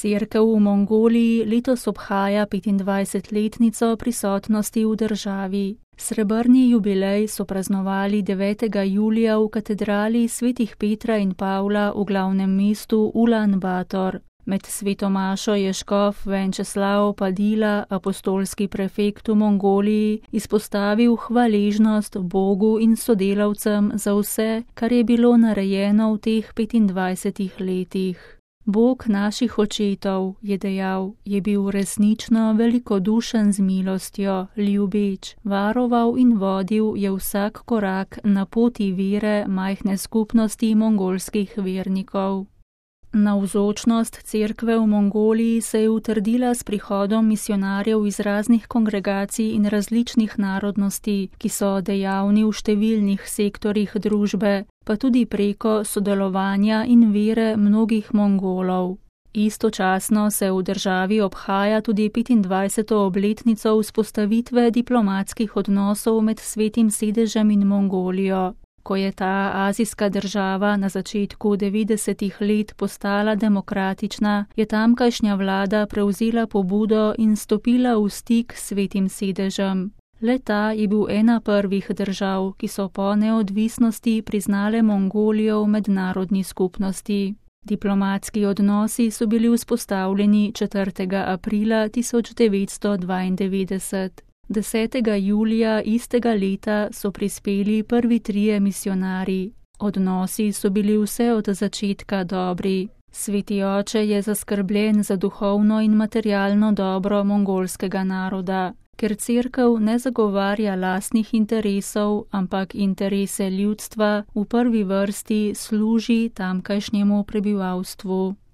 Cerkev v Mongoliji letos obhaja 25-letnico prisotnosti v državi. Srebrni jubilej so praznovali 9. julija v katedrali svetih Petra in Pavla v glavnem mestu Ulan Bator. Med sveto mašo je škof Venčeslav Padila, apostolski prefekt v Mongoliji, izpostavil hvaležnost Bogu in sodelavcem za vse, kar je bilo narejeno v teh 25 letih. Bog naših očetov, je dejal, je bil resnično velikodušen z milostjo, ljubeč, varoval in vodil je vsak korak na poti vere majhne skupnosti mongolskih vernikov. Navzočnost cerkve v Mongoliji se je utrdila s prihodom misionarjev iz raznih kongregacij in različnih narodnosti, ki so dejavni v številnih sektorjih družbe, pa tudi preko sodelovanja in vere mnogih Mongolov. Istočasno se v državi obhaja tudi 25. obletnico vzpostavitve diplomatskih odnosov med Svetim sedežem in Mongolijo. Ko je ta azijska država na začetku 90. let postala demokratična, je tamkajšnja vlada prevzela pobudo in stopila v stik s Svetim sedežem. Le-ta je bil ena prvih držav, ki so po neodvisnosti priznale Mongolijo v mednarodni skupnosti. Diplomatski odnosi so bili vzpostavljeni 4. aprila 1992. 10. julija istega leta so prispeli prvi 3 misionarji. Odnosi so bili vse od začetka dobri. Sveti oče je zaskrbljen za duhovno in materialno dobro mongolskega naroda, ker cerkev ne zagovarja lastnih interesov, ampak interese ljudstva v prvi vrsti služi tamkajšnjemu prebivalstvu.